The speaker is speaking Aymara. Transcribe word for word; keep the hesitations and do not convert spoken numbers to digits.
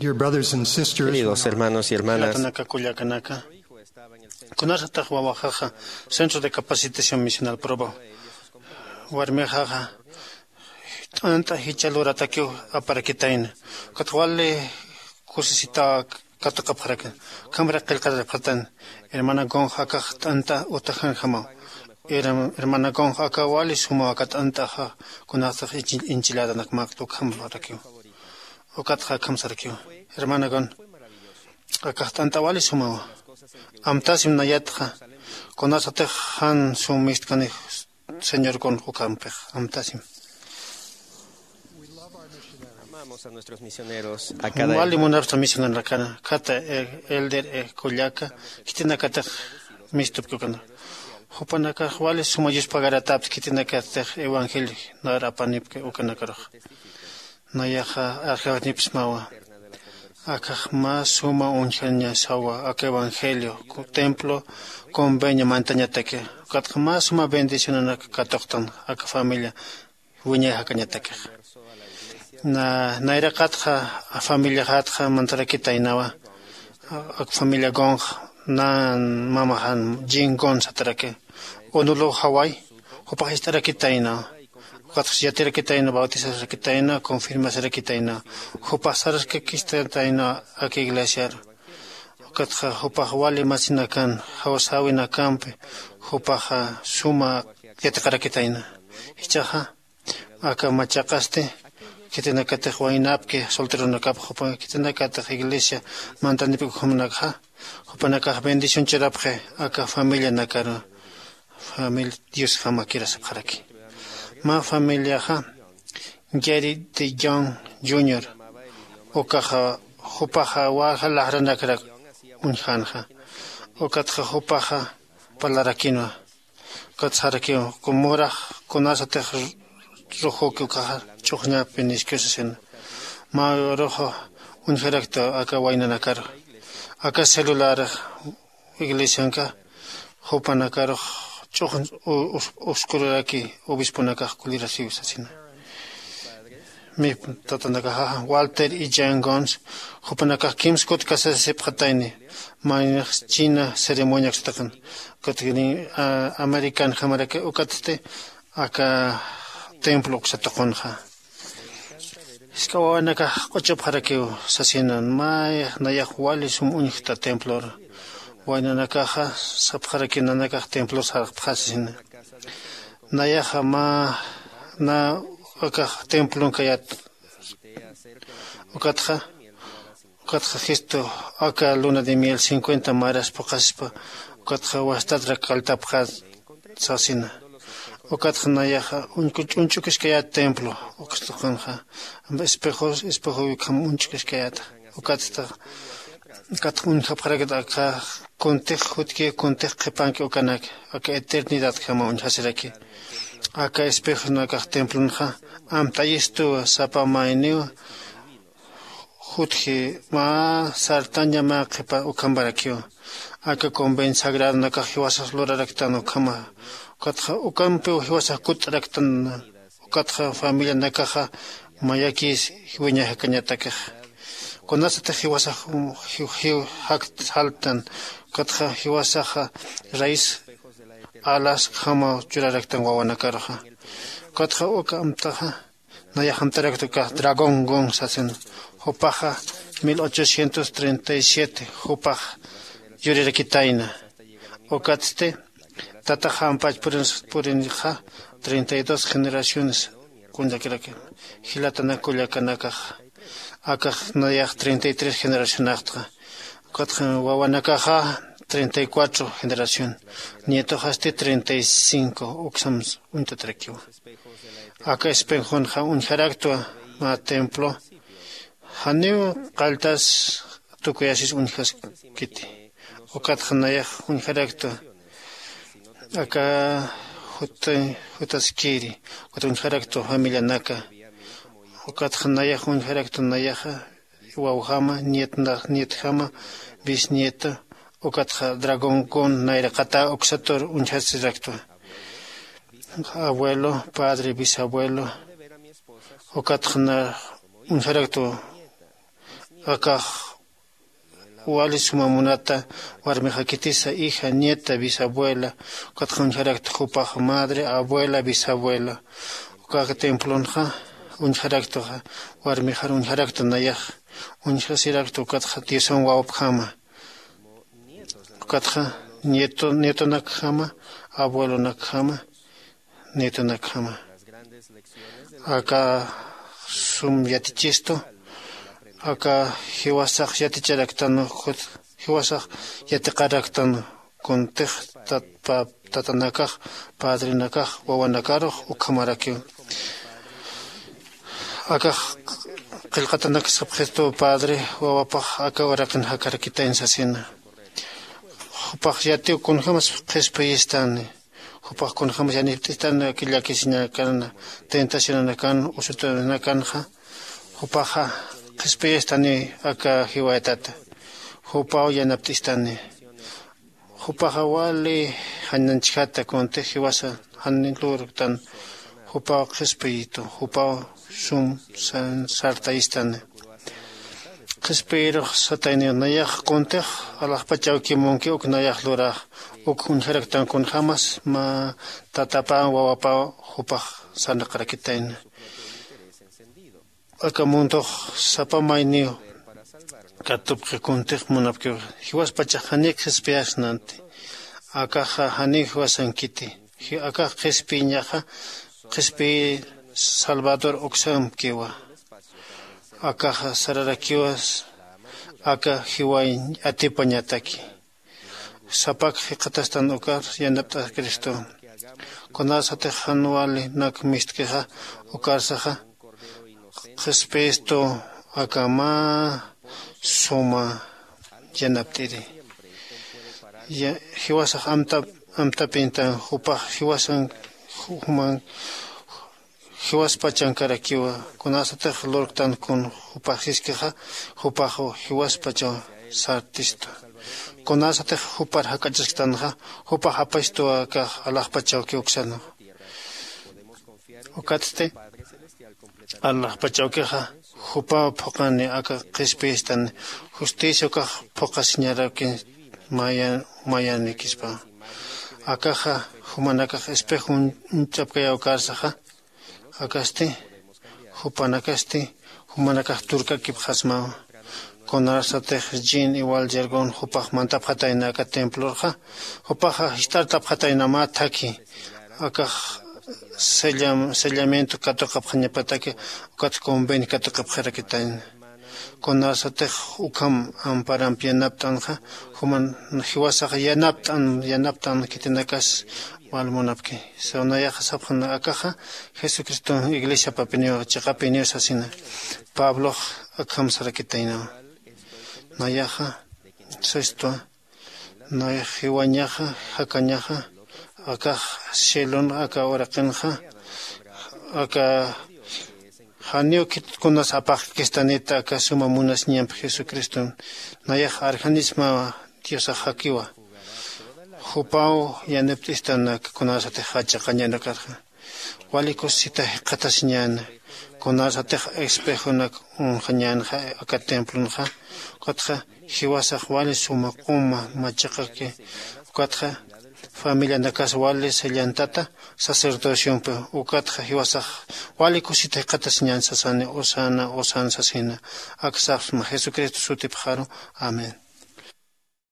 Dear brothers and sisters, queridos hermanos y hermanas, jilatanaka kullakanaka, kunasatix wawaxaxa Centro de Capacitación Misional Provo, warmixaxa t'ant'a jichha luratakiw aparakitayna. Ukat wali kusisita katuqapxaraki. Ukhamrak qillqarapxatan, hermana Gonx akax t'ant'a utajanjamaw. Herm- hermana Gonx aka wali sumaw aka t'ant'axa, kunasatix inchi- inchiladanak mä ukhamarakiw. Ukatxa akham sarakiw, hermana Gonx, akax t'ant'a wali sumawa. Amtasim nayatxa, kunasatix jan sum mistkanix Señor Gonx ukampix, amtasim. Amamos a nuestros misioneros a cada wali munapxta misionerakana, kata, eh, elder, eh, kullaka, khitinakatix mistupki ukana. Jupanakax wali suma yuspagaratapxta khitinakatix evangelio nar apanipki ukanakarux. Nayaxa arjawinipsmawa. Akax mä suma uñjañasawa aka evangelio, cu- templo, convenio mantañataki. Ukatxa mä suma bendicionanak katuqtan aka familia wiñay jakañatakix. Na, nayraqatxa familiaxatxa mantarakitaynawa. Ak familia Gonx, nan mamaxan Jin Gonx sataraki. Honolulu, Hawái, jupax ist'arakitayna. Ukatxa yatirakitayna, bautizasarakitayna, confirmasarakitayna. Jupax saraskakistatayna aka iglesiar. Ukatxa jupax wali masinakan jawsäwinakampi jupaxa suma yatiqarakitayna. Jichhaxa aka machaqasti, khitinakatix waynapki solteronakapx, jupa khitinakatix iglesia mantanipki ukhamanakxa, jupanakax bendición churapxi aka familianakaru. Familia Diosjam akirasipxaraki. Mä familiaxa Gary de Jong junior, ukaxa jupaxa walja laxranakrak uñjanxa. Ukatxa jupaxa parlarakinwa. Ukat sarakiw, kumurax kunasatix rujuki ukaxa ch'uxñapi niskiw sasina. Mä uruxa uñjaraktwa aka waynanakaru. Aka celular iglesianka jupanakarux ch'uxñ u- us- uskururaki obisponakax kulirasiw sasina. Mi tatanakaxa Walter y Jane Gonx, jupanakax kimsa kut casasipxatayni, maynax China ceremoniak satakan. Ukatki, a- American jamaraki ukatsti aka templo uksa tuqunxa. Jisk'a wawanakax q'uchupxarakiw sasina, may nayax wali sum uñjta templor. Waynanakaxa sapxaraki nanakax templor sarxpxasina. Nayaxa mä na akax templon kayät. Ukatxa, ukatxa jistu aka luna de miel cincuenta maras phuqhasispa, ukatxa wastatrak kalltapxät sasina. Ukatxa nayaxa uñku- ch'unch'ukiskayät templo, ukstuqanxa espejos, espejo ukham uñch'ukiskayät. Ukatsta, ukatxa uñjapxarakit aka kuntix jutki, kuntix qhipanki ukanak, aka eternidadjama uñjasiraki. Aka espejonakax templonxa amtayistuwa, sapa mayniw jutji mä sartaña mä qhipa ukhamparakiwa. Aka convent sagradonakax jiwasax luraraktan ukhama. Ukatxa ukampiw jiwasax kutt'araktan. Ukatxa familianakaxa mayakis wiñay jakañatakix. Kunasatix jiwasax jiw- jiw- jakt jaltan. Ukatxa jiwasaxa raíz alasjama churaraktan wawanakaruxa. Ukatxa uka amtaxa nayax amtarakta ukax Dragón Gon sasin. Jupaxa mil ochocientos treinta y siete jupax yurirakitayna. Ukatsti tatax jampach purinxa treinta y dos generaciones kuntrakiraki. Jilatanak kullakanakax, akax nayax treinta y tres generacionaxtxa. Ukatxa wawanakaxa treinta y cuatro generación. Nietoxasti treinta y cinco uksam uñtatarakiwa. Aka espejonxa uñjaraktwa mä templo. Janiw qalltas tukuyasis uñjaskiti. Ukatxa nayax uñjaraktwa aka jut- jutaskiri. Ukat uñjaraktwa familianaka. Ukatxa nayax uñjaraktwa nayaxa wawjama, nietna- nietjama, bisnieta. Ukatxa Dragón Gon nayraqata uksatur uñjasiraktwa. Abuelo, padre, bisabuelo. Ukatxa na uñjaraktwa Akax wali suma munata warmixakitisa, hija, nieta, bisabuela, ukatxa uñjarakta jupax madre, abuela, bisabuela. Uka templonxa uñjaraktaxa, warmixar uñjarakta nayax, uñjasirakta ukatxa diosan wawapjama. Ukatxa nieto nietonakjama, abuelonakjama, nietonakjama. Aka sum yatichistu, aka jiwasax yaticharaktan, jiwasax yatiqaraktan. Kuntix tatanakax, padrenakax wawanakarux ukhamarakiw. Akax qillqatanak sapxistu padre wawapax aka uraqin jakarakitayn sasina. Jupax yatiw kunjämas qhispiyistani, jupax kunjämas yanipt'istani aka llakisiñakanana, tentacionanakan, usut'anakanxa. Jupaxa qhispiyistani aka jiwayatata, jupaw yanapt'istani. Jupaxa wali jañanchjata kuntix jiwasa jan lurktan. Jupaw qhispiyitu, jupaw sum sartayistani. Qhispiyirux satayniw nayax kuntix alaxpachawkimunki uk nayax lurax, uk uñjaraktan kunjämas mä tatapa wawapa jupax sarnaqarakitayna. Aka mundox sapa mayniw katupxi kuntix munapkiw, jiwaspachax janiw qhispiyasnanti. Akaxa janiw jiwasankiti. Akax qhispiyiñaxa qhispiyi salvador uksamkiwa. Akaxa sararakiwas aka jiwañ atipañataki. Sapak jikxatastan ukar yanapt'askristu. Kunasatix jan wali nak mistkixa ukarsaxa qhispistu aka mä suma yanapt'iri. Jiwasax amtapintan jupax jiwasan juman jiwaspachankarakiwa. Kunasatix lurktan kun jupax siskixa jupaxw jiwaspachaw sartistu. Kunasatix jupar jak'achasktanxa jupax apastu akax alaxpachawki uksanwa. Ukatsti alaxpachawkixa jupaw phuqani aka qhispiyistani. Justicia ukax phuqasiñarakin mayanikispa. Akaxa jumanakax espejo uñch'apkayaw karsaxa. Akasti jupanakasti jumanakax turkakipxasmawa. Kunarsatix jin iwal yergon jupax mantapxatayna aka templorxa jupaxa jist'artapxatayna mä thakhi. Akax sellamiento katuqapxañapataki ukat convenio katuqapxarakitayna. Kunarsatix ukham amparamp yanapt'anxa juman jiwasax yanapt'an yanapt'an khitinakas walmunapki. Sawnayaxa sapxana akaxa jesucriston iglesiapapiniw chiqapiniw sasina. Pablox akham sarakitaynawa. Nayaxa sistwa nayax jiwañaxa jakañaxa akax cielon aka uraqinxa aka janiw khitkunas apaqkistanita aka suma munasiñamp jesucriston. Nayax arjanismawa diosax jakiwa. Jupaw yanipt'istanak kunasatix jachaqañanakarxa wali kusisita jikxatasiñäna. Kunasatix espejonak unxañänxa aka templonxa ukatxa jiwasax wali suma q'uma machaqaki. Ukatxa familianakas wali sellantata sacerdociompi ukatxa jiwasax wali kusisita jikxatasiñän sasani usana usan sasina. Aksapsma jesucristo sutipxaru. Amén.